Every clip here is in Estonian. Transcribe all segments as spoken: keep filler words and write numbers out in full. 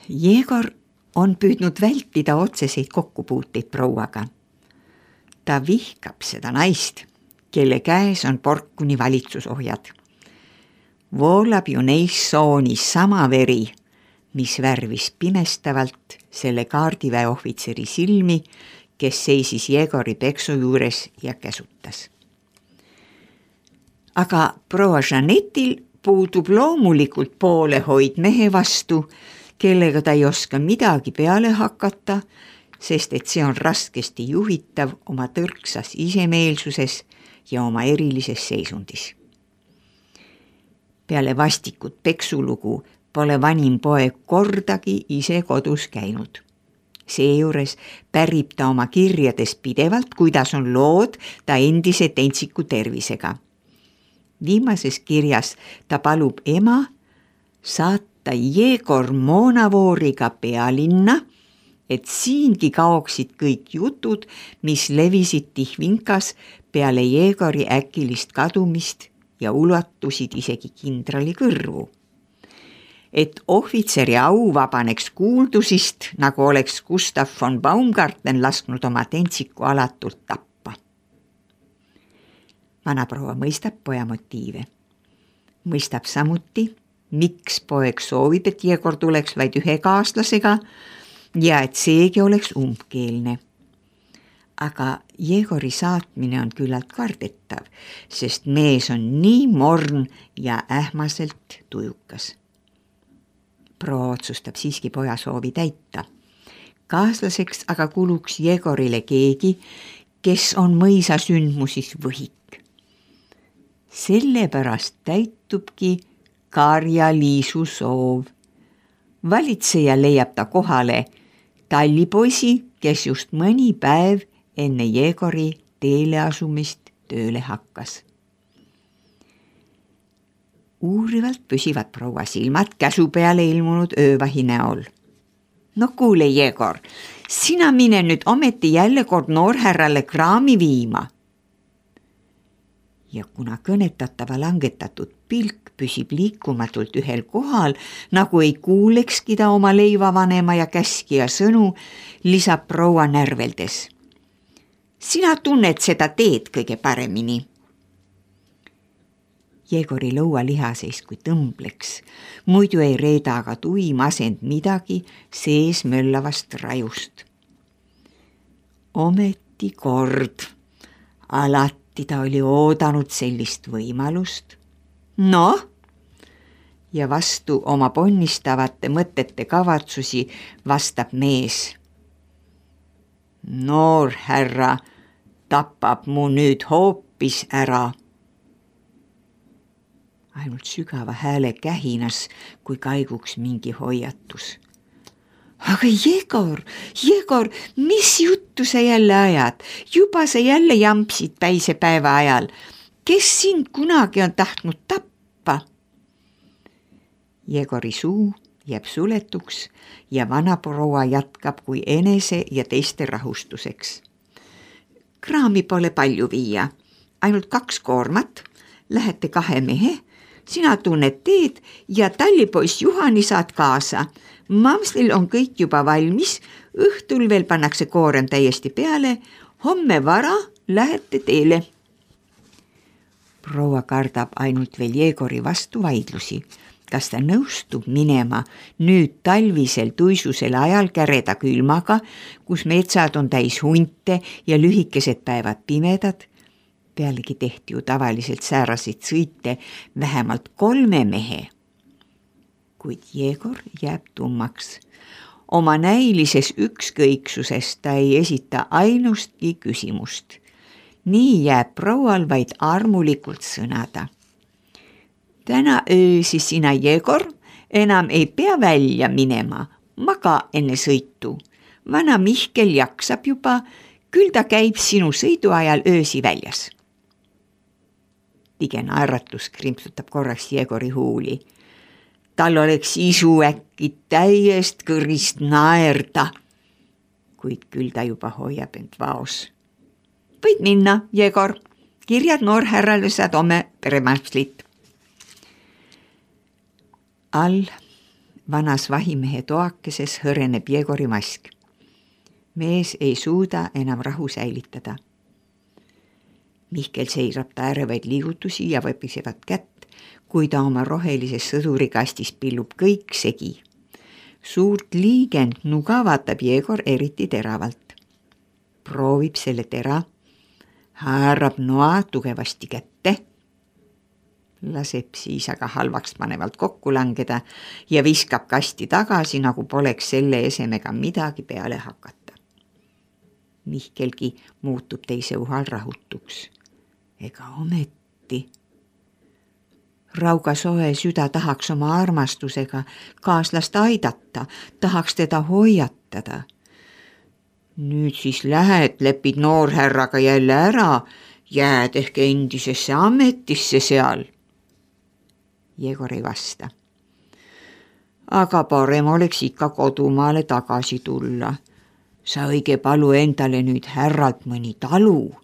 Jegor on püüdnud vältida otseseid kokkupuuteid prouaga. Ta vihkab seda naist, kelle käes on porkuni valitsusohjad. Voolab ju neis soonis sama veri, mis värvis pimestavalt selle kaardiväe ohvitseri silmi, kes seisis Jegori peksu juures ja käsutas. Aga proua Jeanettil puudub loomulikult poolehoid mehe vastu, kellega ta ei oska midagi peale hakata, sest et see on raskesti juhitav oma tõrksas isemeelsuses ja oma erilises seisundis. Peale vastikut peksulugu pole vanim poeg kordagi ise kodus käinud. Seejuures pärib ta oma kirjades pidevalt, kuidas on lood ta endise tentsiku tervisega. Viimases kirjas ta palub ema saata Jegor Moonavooriga pealinna, et siingi kaoksid kõik jutud, mis levisid Tihvinkas peale Jegori äkilist kadumist ja ulatusid isegi kindrali kõrvu. Et ohvitseri au vabaneks kuuldusist, nagu oleks Gustav von Baumgarten lasknud oma tentsiku alatult tappa. Vanaproua mõistab poja motiive. Mõistab samuti, miks poeg soovib, et Jegor tuleks vaid ühe kaaslasega ja et seegi oleks umbkeelne. Aga Jegori saatmine on küllalt kardetav, sest mees on nii morn ja ähmaselt tujukas. Proua otsustab siiski poja soovi täita. Kaaslaseks aga kuluks Jegorile keegi, kes on mõisa sündmusis võhik. Sellepärast täitubki Karja-Liisu soov. Valitseja leiab ta kohale tallipoisi, kes just mõni päev enne Jegori teele asumist tööle hakkas. Uurivalt püsivad proua silmad käsu peale ilmunud öövahi näol. No kuule, Jegor, sina mine nüüd ometi jälle kord noorhärrale kraami viima. Ja kuna kõnetatava langetatud pilk püsib liikumatult ühel kohal, nagu ei kuulekski ta oma leivavanema ja käskija sõnu, lisab proua närveldes. Sina tunned seda teed kõige paremini. Jegori lõualihaseis kui tõmbleks, muidu ei reeda aga tuim asend midagi sees möllavast rajust. Ometi kord, alati ta oli oodanud sellist võimalust. No, ja vastu oma ponnistavate mõtete kavatsusi vastab mees. Noor härra tapab mu nüüd hoopis ära. Ainult sügava hääle kähinas, kui kaiguks mingi hoiatus. Aga Jegor, Jegor, mis juttu sa jälle ajad? Juba sa jälle jampsid päisepäeva ajal. Kes sind kunagi on tahtnud tappa? Jegori suu jääb suletuks ja vanaproua jätkab kui enese ja teiste rahustuseks. Kraami pole palju viia, ainult kaks koormat, lähete kahe mehe, sina tunned teed ja tallipoiss Juhani saad kaasa. Mamslil on kõik juba valmis, õhtul veel pannakse koorem täiesti peale, homme vara lähete teele. Proua kardab ainult veel Jegori vastu vaidlusi. Kas ta nõustub minema nüüd talvisel tuisusel ajal käreda külmaga, kus metsad on täis hunte ja lühikesed päevad pimedad? Pealegi tehti ju tavaliselt sääraseid sõite vähemalt kolme mehe. Kuid Jegor jääb tummaks. Oma näilises ükskõiksuses ta ei esita ainustki küsimust. Nii jääb proual vaid armulikult sõnada. Täna öösi sina, Jegor, enam ei pea välja minema, maga enne sõitu. Vana Mihkel jaksab juba, küll ta käib sinu sõidu ajal öösi väljas. Tige naeratus krimpsutab korraks Jegori huuli. Tal oleks isu äkki täiest kõrist naerda, kuid küll ta juba hoiab end vaos. Võid minna, Jegor, kirjad noorhärrale saad homme peremapslit. All vanas vahimehe toakeses hõreneb Jegori mask. Mees ei suuda enam rahu säilitada. Mihkel seirab ta ärevaid liigutusi ja võpisevad kätt, kui ta oma rohelises sõdurikastis pillub kõik segi. Suurt liigend nuga vaatab Jegor eriti teravalt. Proovib selle tera, haarab noa tugevasti kätte, laseb siis aga halvaks panevalt kokku langeda ja viskab kasti tagasi, nagu poleks selle esemega midagi peale hakata. Mihkelgi muutub teise uhal rahutuks. Ega ometi. Rauga soe süda tahaks oma armastusega kaaslast aidata, tahaks teda hoiatada. Nüüd siis lähed, lepid noorhärraga jälle ära, jääd ehk endisesse ametisse seal. Jegor ei vasta. Aga parem oleks ikka kodumaale tagasi tulla. Sa õige palu endale nüüd härralt mõni talu.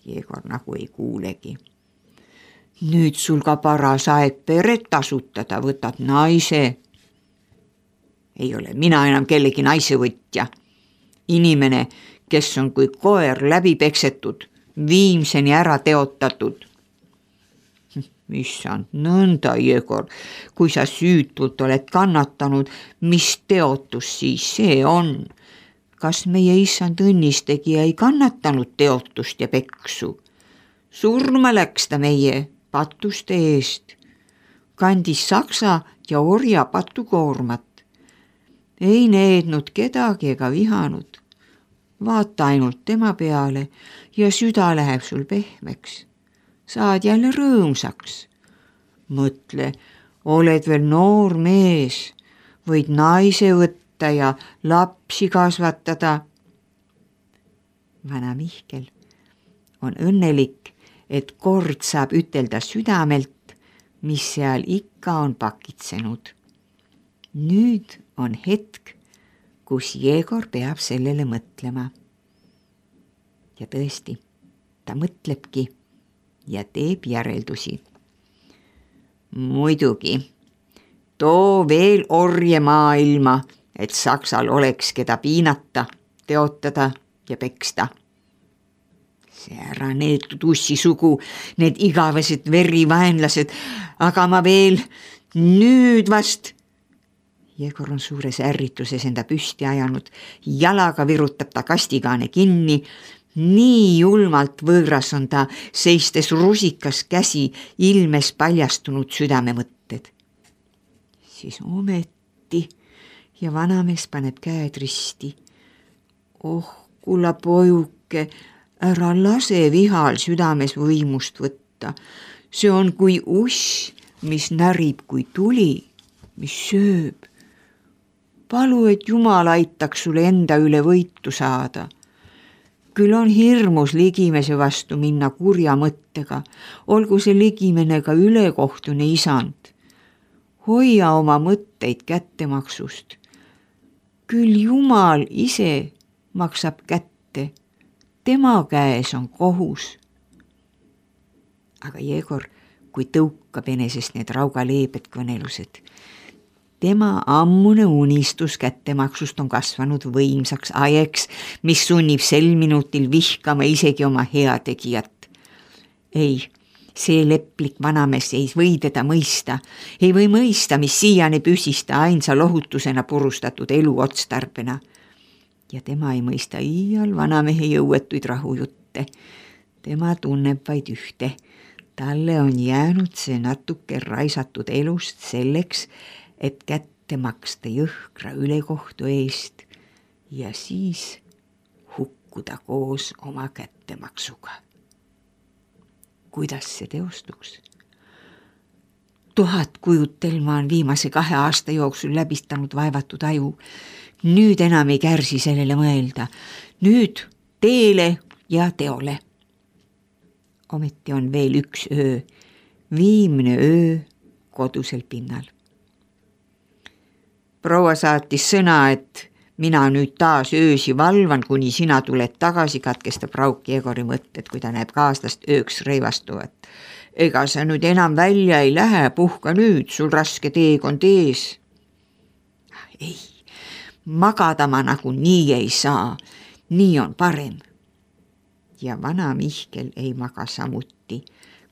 Jegor nagu ei kuulegi. Nüüd sul ka paras aeg peret tasutada, võtad naise. Ei ole mina enam kellegi naise võtja. Inimene, kes on kui koer läbi peksetud, viimseni ära teotatud. Issand, nõnda, Jegor, kui sa süütult oled kannatanud, mis teotus siis see on? Kas meie issand õnnistegija ei kannatanud teotust ja peksu? Surma läks ta meie patuste eest. Kandis saksa ja orja patukoormat. Ei neednud kedagi ega vihanud. Vaata ainult tema peale ja süda läheb sul pehmeks. Saad jälle rõõmsaks. Mõtle, oled veel noor mees, võid naise võtta ja lapsi kasvatada. Vana Mihkel on õnnelik, et kord saab ütelda südamelt, mis seal ikka on pakitsenud. Nüüd on hetk, kus Jegor peab sellele mõtlema. Ja tõesti, ta mõtlebki ja teeb järeldusi. Muidugi, too veel orje maailma, et Saksal oleks keda piinata, teotada ja peksta. See ära neetud ussi sugu, need igavesed verivaenlased, aga ma veel nüüd vast. Jegor on suures ärrituses enda püsti ajanud, jalaga virutab ta kastigaane kinni, nii julmalt võõras on ta, seistes rusikas käsi, ilmes paljastunud südamemõtted. Siis ometi ja vanamees paneb käed risti. Oh, kulla pojuke, ära lase vihal südames võimust võtta. See on kui uss, mis närib kui tuli, mis sööb. Palu, et Jumal aitaks sulle enda üle võitu saada. Küll on hirmus ligimese vastu minna kurja mõttega, olgu see ligimene ka ülekohtune isand. Hoia oma mõtteid kättemaksust. Küll Jumal ise maksab kätte, tema käes on kohus. Aga Jegor, kui tõukab enesest need rauga leebed kõnelused, tema ammune unistus kättemaksust on kasvanud võimsaks ajeks, mis sunnib sel minutil vihkama isegi oma heategijat. Ei, see leplik vanamees ei või teda mõista, ei või mõista, mis siiani püsista ainsa lohutusena purustatud elu otstarbena. Ja tema ei mõista iial vanamehe jõuetuid rahujutte. Tema tunneb vaid ühte. Talle on jäänud see natuke raisatud elust selleks, et kätte maksta jõhkra ülekohtu eest ja siis hukkuda koos oma kättemaksuga. Kuidas see teostuks? Tuhat kujutelma on viimase kahe aasta jooksul läbistanud vaevatud aju. Nüüd enam ei kärsi sellele mõelda. Nüüd teele ja teole. Ometi on veel üks öö, viimne öö kodusel pinnal. Proua saatis sõna, et mina nüüd taas öösi valvan, kuni sina tuled tagasi, katkestab Rauk Jegori mõtted, kui ta näeb kaaslast ööks reivastuvat. Ega sa nüüd enam välja ei lähe, puhka nüüd, sul raske teekond ees. ei, magada ma nagu nii ei saa, nii on parem. Ja vana Mihkel ei maga samuti,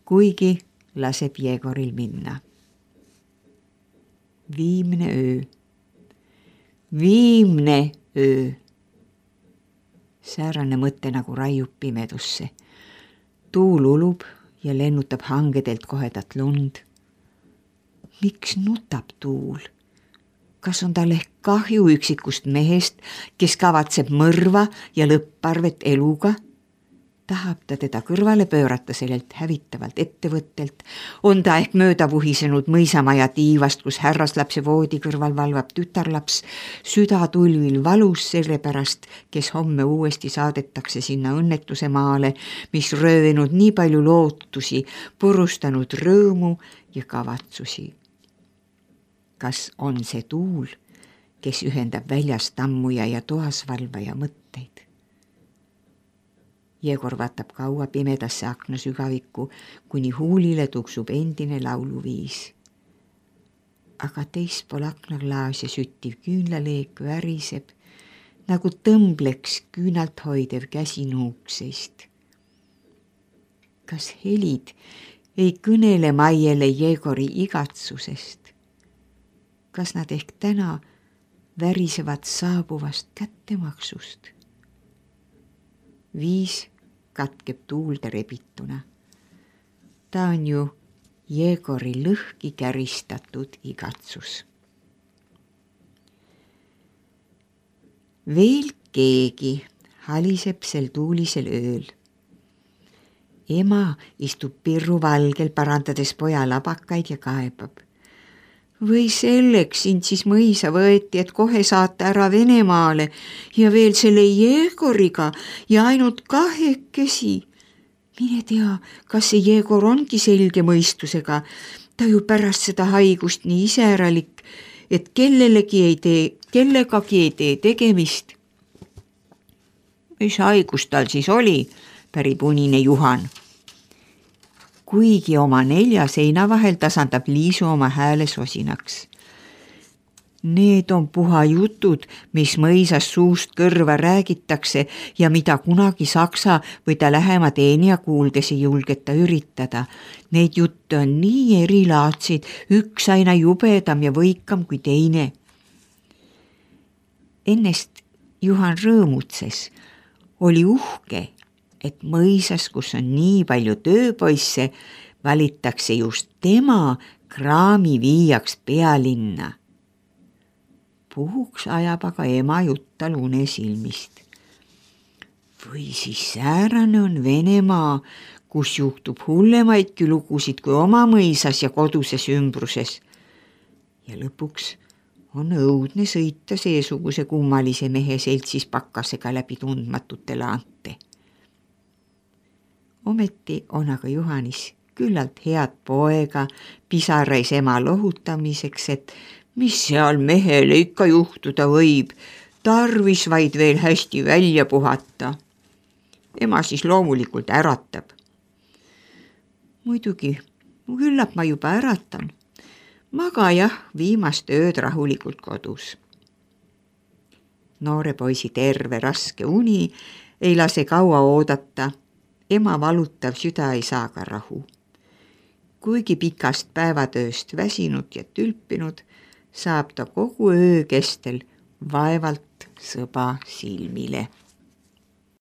kuigi laseb Jegoril minna. Viimne öö, viimne öö. Säärane mõte nagu raiub pimedusse. Tuul ulub ja lennutab hangedelt kohedat lund. Miks nutab tuul? Kas on tal ehk kahju üksikust mehest, kes kavatseb mõrva ja lõpparvet eluga? Tahab ta teda kõrvale pöörata sellelt hävitavalt ettevõttelt? On ta ehk mööda vuhisenud mõisamaja tiivast, kus härraslapse voodi kõrval valvab tütarlaps, süda tulvil valus selle pärast, kes homme uuesti saadetakse sinna õnnetuse maale, mis röövinud nii palju lootusi, purustanud rõõmu ja kavatsusi. Kas on see tuul, kes ühendab väljas tammuja ja toas valvaja mõtteid? Jegor vaatab kaua pimedasse akna sügavikku, kuni huulile tuksub endine lauluviis. Aga teispool aknaklaas ja süttiv küünlaleek väriseb, nagu tõmbleks küünalt hoidev käsi nuukseist. Kas helid ei kõnele Maiele Jegori igatsusest? Kas nad ehk täna värisevad saabuvast kättemaksust? Viis katkeb tuulde rebituna. Ta on ju Jegori lõhki käristatud igatsus. Veel keegi haliseb sel tuulisel ööl. Ema istub pirru valgel, parandades poja labakaid ja kaebab. Või selleks sind siis mõisa võeti, et kohe saata ära Venemaale ja veel selle Jegoriga ja ainult kahekesi. Mine tea, kas see Jegor ongi selge mõistusega. Ta ju pärast seda haigust nii iseäralik, et kellelegi ei tee, kellegagi ei tee tegemist. Mis haigus tal siis oli, pärib unine Juhan. Kuigi oma nelja seina vahel tasandab Liisu oma hääle sosinaks. Need on puha jutud, mis mõisas suust kõrva räägitakse ja mida kunagi saksa või ta lähema teenija kuuldes ei julgeta üritada. Need jutte on nii erilaadsid, üks aina jubedam ja võikam kui teine. Ennest Juhan rõõmutses, oli uhke, et mõisas, kus on nii palju tööpoisse, valitakse just tema kraami viiaks pealinna. Puhuks ajab aga ema juttal une silmist. Või siis säärane on Venemaa, kus juhtub hullemaidki lugusid kui oma mõisas ja koduses ümbruses. Ja lõpuks on õudne sõita seesuguse kummalise mehe seltsis pakkasega läbi tundmatute laante. Ometi on aga Juhanis küllalt head poega, pisarais ema lohutamiseks, et mis seal mehele ikka juhtuda võib, tarvis vaid veel hästi välja puhata. Ema siis loomulikult äratab. Muidugi, küllap ma juba äratan. Maga jah, viimast ööd rahulikult kodus. Noore poisi terve raske uni ei lase kaua oodata. Ema valutav süda ei saa ka rahu. Kuigi pikast päevatööst väsinud ja tülpinud, saab ta kogu öö kestel vaevalt sõba silmile.